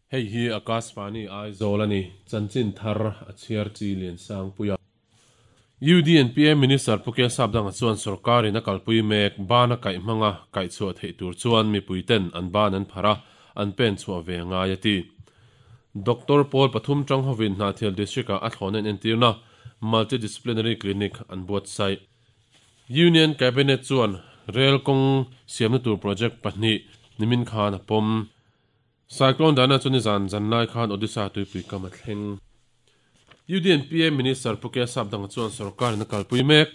Hei hi Akashvani Aizawl a ni, chanchin thar a chhiar chi Liansangpuia. UDNPA Minister Pu K Sapdanga chuan sorkarin a kalpui mek bana kaih hmanga kaihchhuah theih tur chuan mipuiten an ban an phar a, an pen chhuah ve a ngai a ti. Doctor pawl pathum tang hovin Hnahthial District-ah a thlawhna inentirna Multidisciplinary Clinic an buatsaih. Union Cabinet chuan rel kawng siamna tur project pahnih nimin khan a pawm. Cyclone Dana chu nizan zanlai khan Odisha tuipui kam a thleng. UDNPA Minister Pu K Sapdanga chuan sorkarin a kalpui mek.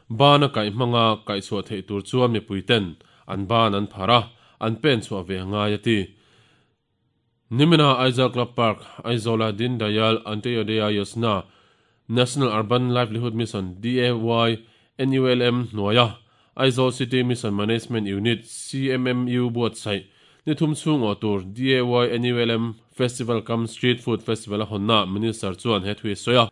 Ban a kaih hmanga kaihchhuah theih tur chuan mipuiten an ban an phar a, an pen chhuah ve a ngai a ti. Nimina Aizawl Club Park, Aizawla Deen Dayal Antyodaya Yojana, National Urban Livelihood Mission, DAY, NULM, hnuaia Aizawl City Mission Management Unit, CMMU, buatsaih ni thum chhung awh tur DAY NULM Festival cum Street Food Festival a hawnnaah Minister chuan he thu hi a sawi a.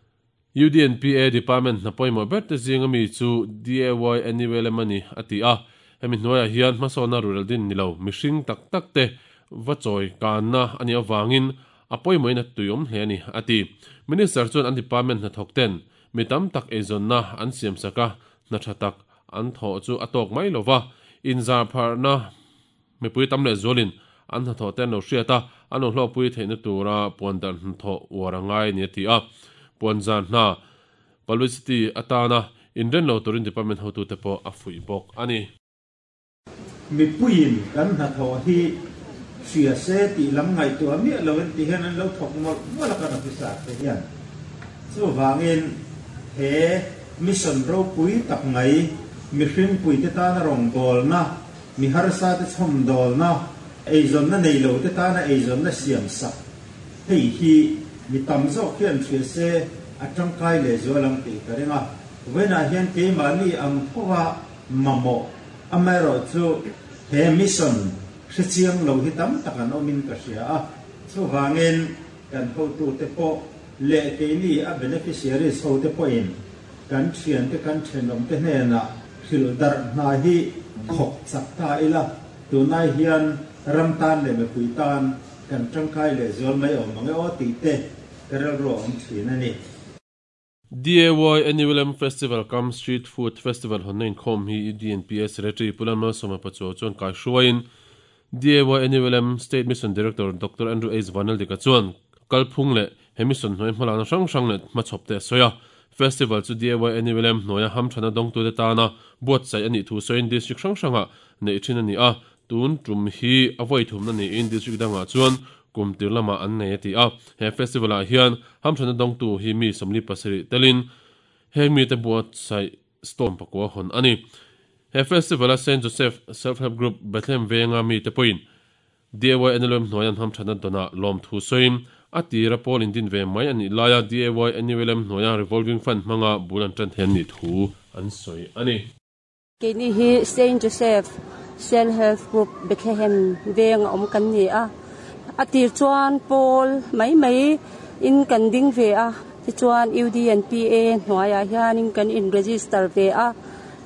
UDNPA Department hna pawimawh ber te zinga mi chu DAY NULM a ni, a ti a. Hemi hnuaiah hian hmasawnna rural din ni lo mihring tak tak te va chawi kanna a nih avangin a pawimawhin a tuiawm hle a ni, a ti. Minister chuan an department hnathawk ten mi tam tak eizawnna an siamsak a, hna tha tak an thawh chu a tawk mai lo va, inzar pharhna mipui tam leh zualin an hnathawh te an lo hriat a, an lo hlawkpui theihna tura puandarh hnathawh uar a ngai a ni a ti a. Puanzar hna publicity atana inren lo turin department hotute pawh a fuih bawk a ni. Mipuiin kan hnathawh hi hria se tih lam ngaihtuah miah lo in ti hian an lo thawk mawlh mawlh a kan officer te hian. Chuvangin he mission ropui tak mai, mihring puite tana rawngbawlna, mi harsa te chhawmdawlna, eizawnna nei lo te tana eizawnna siam sak hei hi mi tam zawk hian hria se a tangkai lehzual ang tih ka ring a. Vawiinah hian keimahni ang thova mamawh. Amaherawhchu he mission hrechiang lo hi tam tak an awmin ka hria a, chuvangin kan hotute pawh leh keini a beneficiaries hote pawhin kan thiante kan thenawmte hnenah hrilh darh hna hi thawk chak ta ila, tunai hian ram tan leh mipui tan kan tangkai lehzual mai awm ang e aw tih te ka rilru a awm thin a ni. DAY NULM Festival cum Street Food Festival hawnna inkhawm hi DNPA Secretary Pu Lalmalsawma Pachuau chuan kai hruaiin DAY NULM State Mission Director Doctor Andrew H Vanaldika chuan kalphung leh he mission hnuai hmalakna hrang hrang leh hmachhawp te a sawi a. Festival chu DAY NULM hnuaia hamthana dawngtute tana buatsaih a nih thu sawiin District hrang hrangah neih thin a ni a, Tun tum hi a vawi thumna niin district dangah chuan kum tir lamah an nei a ti a. He festival ah hian hamthana dawngtu hi mi 47 telin heng mite buatsaih storm pakua hawn a ni. He festival a Saint Joseph Self Help Group Bethlehem venga mite pawhin DAY NLUM hnuaia an hamthana dawnah lawmthu sawiin a tira pawl indin ve mai a nih laia DAY NULM hnuaia revolving fund hmanga bul an tan thei an nih thu an sawi a ni. Keini hi Saint Joseph Self Help Group Bethlehem veng a awm kan ni a. A tir chuan pawl mai mai in kan ding ve a, tichuan UDNPA hnuaiah hianin kan in register ve a,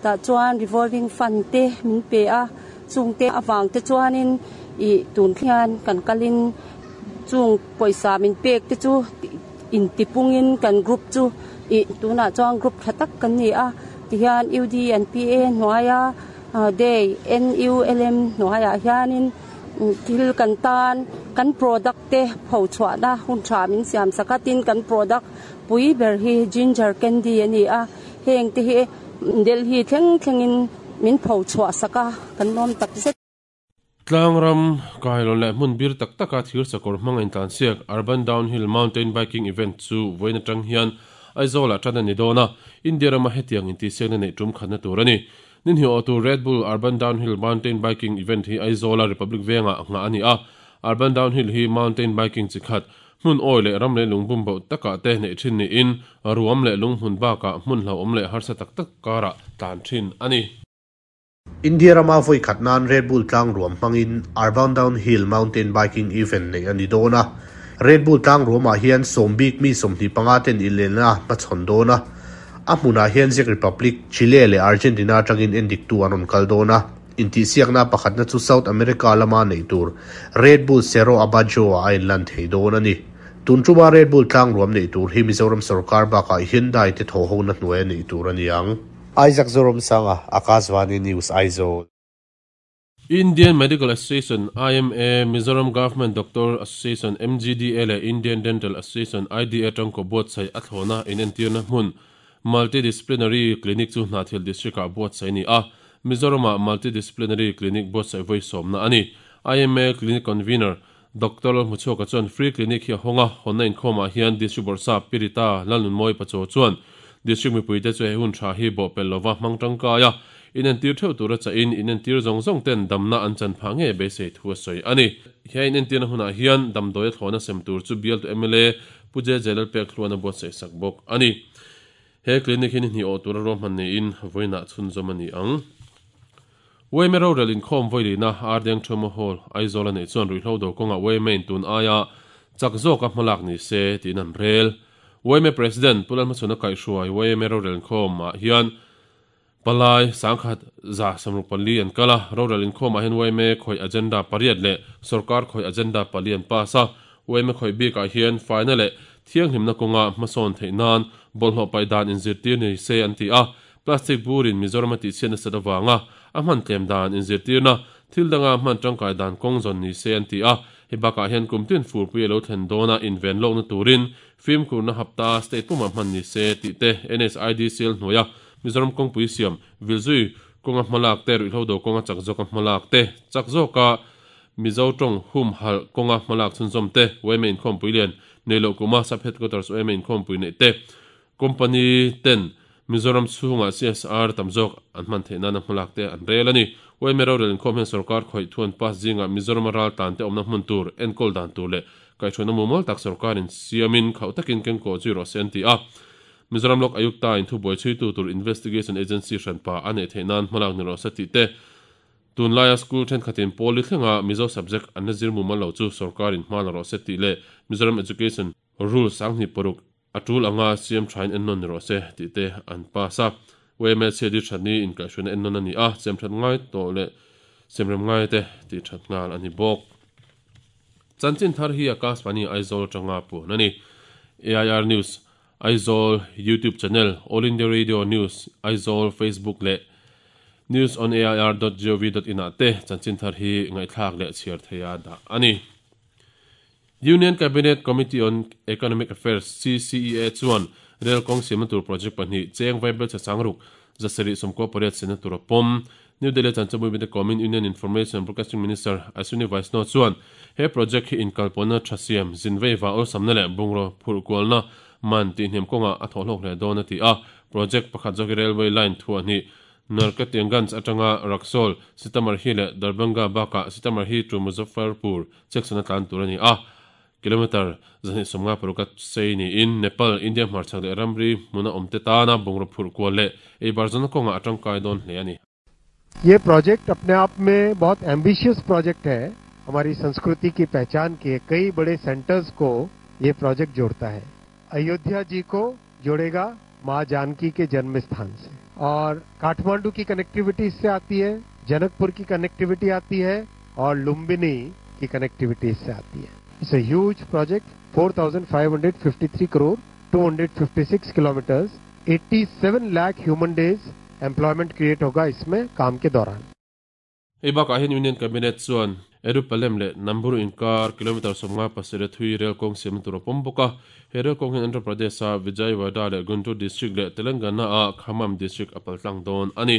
tah chuan revolving fund te min pe a, chungte avang te chuanin ih tun hian kan kalin chung pawisa min pek te chu Intipungin kan group chu ih tunah chuan group tha tak kan ni a, tihian UDNPA hnuaia day NULM hnuaiah hianin thil kan tan kan product te pho chhuahna hun tha min siam sak a, tin kan product pui ber hi ginger candy a ni a, heng te hi Delhi thleng thlengin min pho chhuah sak a, kan lawm tak zet. Tlangram, Kailon leh hmun bir tak taka thir sakawr hmanga intlansiak Urban Downhill Mountain Biking Event chu vawiin atang hian Aizawlah tan a ni dawn a, India rama hetiang intihsiakna neih tum khatna tur a ni. Ninhih awhtu Red Bull Urban Downhill Mountain Biking Event hi Aizawla Republic Vengah nghah a ni a, Urban Downhill hi mountain biking chi khat, hmun awi leh ram leh lungbum bauh takah te neih thin niin ruam leh lunghmun bakah hmun hlauhawm leh harsa tak tak karah tlan thin a ni. India rama vawi khat nan Red Bull tlang ruam hmangin Urban Downhill Mountain Biking Event neih a ni dawn a. Red Bull tlang ruamah hian sawm bik mi 25 ten inlenna hmachhawn dawn a. A hmunah hian Czech Republic, Chile leh Argentina atangin endiktu an rawn kal dawn a. Intihsiakna pakhatna chu South America lama neih tur Red Bull Cerro Abajo-ah a inlan thei dawn a ni. Tun tuma Red Bull tlangruam neih tur hi Mizoram sorkar bakah Hyundai te thawhhona hnuaia neih tur a ni ang. Isaac Zoromsanga, Akashvani News, Aizawl. Indian Medical Association, IMA, Mizoram Government Doctor Association, MGDA, leh Indian Dental Association, IDA, tangkaw buatsaih a thlawhna inentirna hmun Multidisciplinary Clinic chu Hnahthial District-ah buatsaih a ni a, Mizoram-ah Multidisciplinary Clinic buatsaih vawi sawmna a ni. IMA Clinic Convener, Doctor Lalhmuchhuaka chuan Free Clinic hi a hawng a, hawnna inkhawmah hian District Bawrhsap Pi Rita Lalnunmawi Pachaw chuan District mipuite chu he hun tha hi bawhpelh lova hmang tangkai a, inentir theuh tura chahin inentir zawng zawng ten damna an chan phah ngei beisei thu a sawi a ni. He inentirna hunah hian damdawi a thlawhna sem tur chu bialtu mla Pu JJ Lalpekhluan a buatsaih sak bawk a ni. He clinic hi ni hnih awh tura ruahman niin vawiinah chhunzawm a ni ang. Uaime rorel inkhawm vawilihna Ardeng Theumo Hall, Aizawl a neih chuan ruihhlo do kawngah Uaime in tun aia chak zawka hmalak ni se tiin an rel. Uaime President Pu Lalhmachhuna kaihhruai Uaime rorel inkhawm ah hian Palai sangkhat 164 an kal a, rorel inkhawm ah hian Uaime khawih agenda pariat leh sorkar khawih agenda pali an pass a. Uaime khawih bik ah hian faina leh thianghlimna kawnga hmasawn theih nan bawlhhlawh paih dan inzirtir ni se an ti a. Plastic burin Mizoram a tihchhiat nasat avanga a hman tlem dan inzirtirna thil danga hman tangkai dan kawng zawn ni se an ti a. Hei bakah hian kum tin furpui a lo thlen dawna inven lawkna turin fimkhurna hapta state pumah hman ni se tih te NSIDCL hnuaia Mizoram kawngpui siam vilzui kawnga hmalak te, ruihhlo do kawnga chak zawka hmalak te, chak zawka Mizo tawng humhalh kawnga hmalak chhunzawm te, yma inkhawmpui lian nei loh kuma Sub Headquarters yma inkhawmpui neih te, Company ten Mizoram chhungah CSR tam zawk an hman theih nana hmalak te an rel a ni. Yma rorel inkhawm hian sorkar khawih thuan pass zingah Mizorama ral tan te awmna hmun tur, enkawl dan tur leh kaihhruaina mumal tak sorkarin siamin khauh takin kengkawh zui rawh se an ti a. Mizoram Lok Ayukta in thubuai chhuitu tur Investigation Agency hranpa a neih theih nan hmalak ni rawh se tih te, Tunlaia school thenkhatin pawli thlenga Mizo subject an la zir mumal lo chu sorkarin hma la rawh se tih leh Mizoram Education Rule 26 A tul anga siam thain ennawn ni rawh se tih te an pass a. YMA chhiat hi thatni inkaihhruaina ennawn a ni a, siam that ngai tawh leh siamrem ngai te tih that nghal a ni bawk. Chanchin thar hi Akashvani Aizawl atanga puan a ni. AIR News, Aizawl YouTube channel, All India Radio News, Aizawl Facebook leh newsonair.gov.in ah te chanchin thar hi ngaihthlak leh chhiar theia dah a ni. Union Cabinet Committee on Economic Affairs, CCEA, chuan rel kawng siamna tur project pahnih cheng vaibelchhe sangruk 798 siamna tur a pawm. New Delhi chanchanpui mite kawmin Union Information and Broadcasting Minister Ashwini Vaishnaw chuan he project hi inkalpawhna tha siam, zinveiva awlsamna leh bungraw phurh kualna man tihhniam kawngah a thawhhlawk hle dawn a ti a. Project pakhat zawk hi railway line thuah hnih Narkatiaganj atanga Raxaul, Sitamarhi leh Darbhanga bakah Sitamarhi to Muzaffarpur section a tlan tur a ni a, kilometre 256 a sei niin Nepal, India hmarchhak leh ramri hmuna awmte tana bungraw phurh kual leh eibar zawna kawngah a tangkai dawn hle a ni. ये project अपने आप में बहुत ambitious project है हमारी संस्कृति की पहचान के कई बड़े सेंटर्स को ये प्रोजेक्ट जोड़ता है अयोध्या जी को जोड़ेगा मां जानकी के जन्म स्थान से और काठमांडू की कनेक्टिविटी इससे आती है जनकपुर की कनेक्टिविटी आती है और लुम्बिनी की कनेक्टिविटी इससे आती है it's a huge project 4553 crore 256 kilometres 87 lakh human days employment create होगा इसमें काम के दौरान Hei bakah hian Union Cabinet chuan Erupalem leh Namburu inkar kilometre 57 a thui rel kawng siamna tur a pawm bawk a. He rel kawng hian Andhra Pradesh-a Vijayawada leh Guntur District leh Telangana-a Khammam District a paltlang dawn a ni.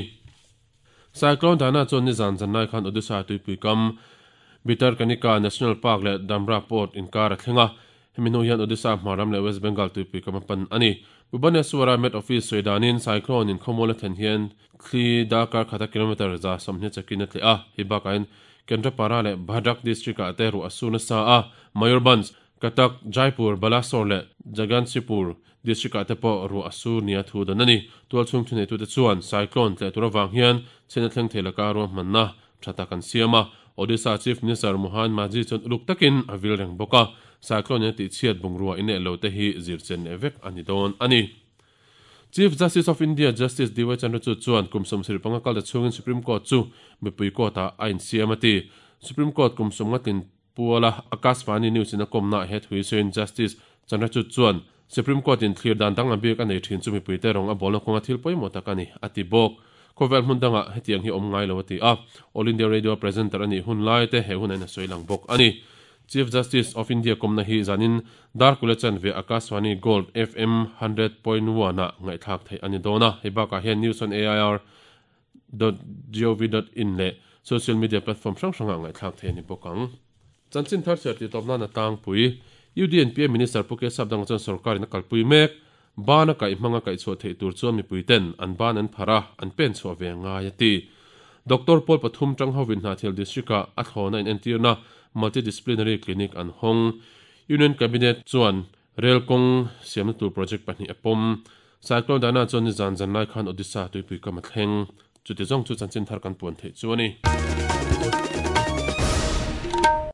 Cyclone Dana chuan nizan zanlai khan Odisha tuipui kam Bhitarkanika National Park leh Dhamra Port inkar a thleng a. Hemi hnu hian Odisha hmaram leh West Bengal tuipui kam a pan a ni. Bhubaneswar-a Met Office sawi danin cyclone in khawmual a thlen hian thli darkar khata kilometre 120 chakin a tleh a. Hei bakah hian Kendrapara leh Bhadrak district-ah te ruah a su nasa a. Mayurbhanj, Cuttack, Jaipur, Balasore leh Jaganshipur district-ah te pawh ruah a su nia thu dan a ni. Tualchhung thuneitute chuan cyclone tleh tur avang hian chhiatna thleng thei laka ruahmanna tha tak an siam a. Odisha Chief Minister Mohan Majhi chuan uluk takin a vil reng bawk a, cyclone in a tihchhiat bungrua ineh lo te hi zir chen leh vek a ni dawn a ni. Chief Justice of India Justice DY Chandrachud chuan kum 75 kal ta chhungin Supreme Court chu mipui court-ah a insiam a ti. Supreme Court kum 50 tlin puala Akashvani News in a kawmnaah he thu hi sawiin Justice Chandrachud chuan Supreme Court in thlir dan danglam bik a nei thin chu mipuite rawng a bawlna kawnga thil pawimawh tak a ni, a ti bawk. Khawvel hmun dangah hetiang hi awm ngai lo a ti a, All India Radio presenter a nih hun lai te he hun a in a sawi lang bawk a ni. Chief Justice of India kawmna hi zanin Darkula chanve Akashvani Gold FM 100.1 ah ngaihthlak theih a ni dawn a, hei bakah hian News on AIR dot gov dot in leh social media platform hrang hrangah ngaihthlak theih a ni bawk ang. Chanchin thar chhiar tih tawp nan a tlangpui. UDNPA Minister Pu K Sapdanga chuan sorkarin a kalpui mek. Ban a kaih hmanga kaihchhuah theih tur chuan mipuiten an ban an phar a, an pen chhuah ve ngai a ti. Doctor pawl pathum tang hovin Hnahthial District-ah a thlawna inentirna Multidisciplinary Clinic an hawng. Union Cabinet chuan Rail kawng siamna tur project pahnih a pawm. Cyclone Dana chuan nizan zanlai khan Odisha tuipui kam a thleng. Chuti zawng chu chanchin thar kan puan theih chu a ni.